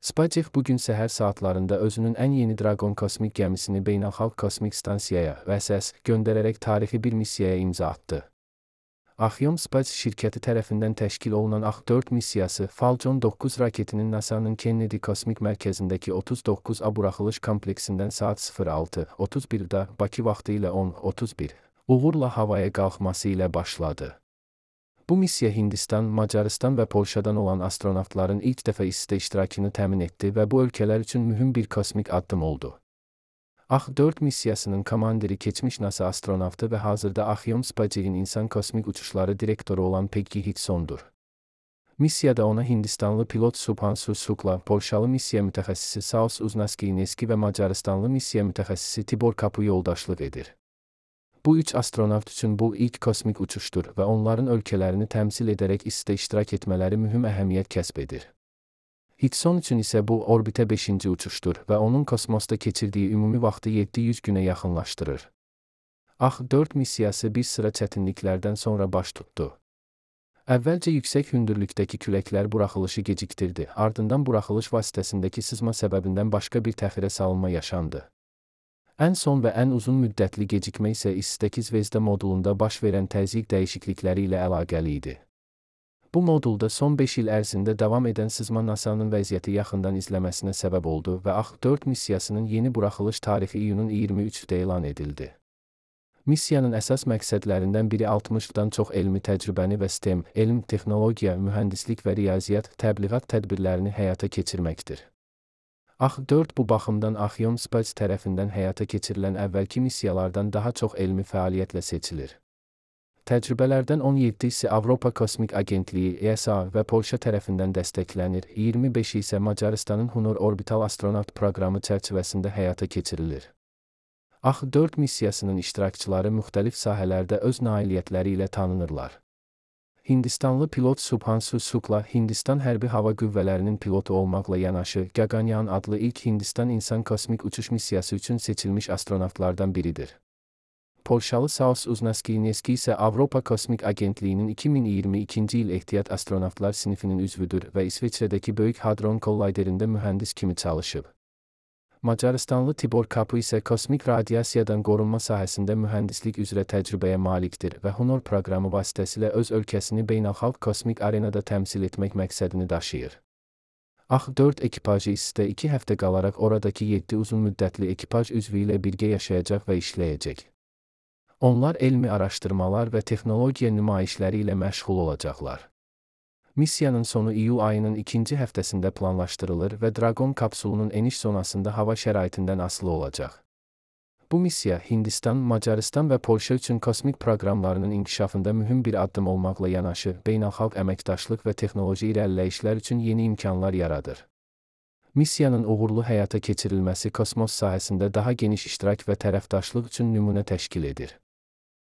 SpaceX bugün səhər saatlarında özünün ən yeni Dragon kosmik gəmisini Beynəlxalq Kosmik Stansiyaya (VSS) göndərərək tarixi bir missiyaya imza atdı. Axiom Space şirkəti tərəfindən təşkil olunan AX-4 missiyası Falcon 9 raketinin NASA'nın Kennedy Kosmik Mərkəzindəki 39A buraxılış kompleksindən saat 06:31-da Bakı vaxtı ilə 10:31 uğurla havaya qalxması ilə başladı. Bu missiya Hindistan, Macarıstan və Polşadan olan astronavtların ilk dəfə ISS-də iştirakını təmin etdi və bu ölkələr üçün mühüm bir kosmik addım oldu. AX-4 missiyasının komandiri keçmiş NASA astronavtı və hazırda Axiom Spacex'in insan kosmik uçuşları direktoru olan Peggy Hicksondur. Missiyada ona Hindistanlı pilot Subhanshu Shukla, Polşalı missiya mütəxəssisi Saus Uznaski-Neski və Macarıstanlı missiya mütəxəssisi Tibor Kapu yoldaşlıq edir. Bu üç astronavt üçün bu ilk kosmik uçuşdur və onların ölkələrini təmsil edərək ISS-də iştirak etmələri mühüm əhəmiyyət kəsb edir. Hickson üçün isə bu orbitə 5-ci uçuşdur və onun kosmosda keçirdiyi ümumi vaxtı 700 günə yaxınlaşdırır. AX-4 missiyası bir sıra çətinliklərdən sonra baş tutdu. Əvvəlcə yüksək hündürlükdəki küləklər buraxılışı gecikdirdi, ardından buraxılış vasitəsindəki sızma səbəbindən başqa bir təxirə salınma yaşandı. Ən son və ən uzun müddətli gecikmə isə ISS-dəki Zvezda modulunda baş verən təzyiq dəyişiklikləri ilə əlaqəli idi. Bu modulda son 5 il ərzində davam edən sızma NASA'nın vəziyyəti yaxından izləməsinə səbəb oldu və AX-4 missiyasının yeni buraxılış tarixi iyunun 23-də elan edildi. Missiyanın əsas məqsədlərindən biri 60-dan çox elmi təcrübəni və STEM, elm, texnologiya, mühəndislik və riyaziyyat, təbliğat tədbirlərini həyata keçirməkdir. AX-4 bu baxımdan Axiom Space tərəfindən həyata keçirilən əvvəlki missiyalardan daha çox elmi fəaliyyətlə seçilir. Təcrübələrdən 17-si Avropa Kosmik Agentliyi (ESA) və Polşa tərəfindən dəstəklənir, 25-i isə Macarıstanın Hunor Orbital Astronavt proqramı çərçivəsində həyata keçirilir. AX-4 missiyasının iştirakçıları müxtəlif sahələrdə öz nailiyyətləri ilə tanınırlar. Hindistanlı pilot Subhanshu Shukla, Hindistan Hərbi Hava Qüvvələrinin pilotu olmaqla yanaşı, Gaganyaan adlı ilk Hindistan insan kosmik uçuş missiyası üçün seçilmiş astronavtlardan biridir. Polşalı Saus Uznaski-Neski isə Avropa Kosmik Agentliyinin 2022-ci il ehtiyat astronavtlar sinifinin üzvüdür və İsveçrədəki Böyük Hadron Kollayderində mühəndis kimi çalışıb. Macarıstanlı Tibor Kapu isə kosmik radiasiyadan qorunma sahəsində mühəndislik üzrə təcrübəyə malikdir və Hunor proqramı vasitəsilə öz ölkəsini beynəlxalq kosmik arenada təmsil etmək məqsədini daşıyır. AX-4 ekipajı ISS-də 2 həftə qalaraq oradakı 7 uzunmüddətli ekipaj üzvü ilə birgə yaşayacaq və işləyəcək. Onlar elmi araşdırmalar və texnologiya nümayişləri ilə məşğul olacaqlar. Missiyanın sonu iyul ayının 2-ci həftəsində planlaşdırılır və Dragon kapsulunun eniş zonasında hava şəraitindən asılı olacaq. Bu missiya Hindistan, Macarıstan və Polşa üçün kosmik proqramlarının inkişafında mühüm bir addım olmaqla yanaşı, beynəlxalq əməkdaşlıq və texnoloji irəliləyişlər üçün yeni imkanlar yaradır. Missiyanın uğurlu həyata keçirilməsi kosmos sahəsində daha geniş iştirak və tərəfdaşlıq üçün nümunə təşkil edir.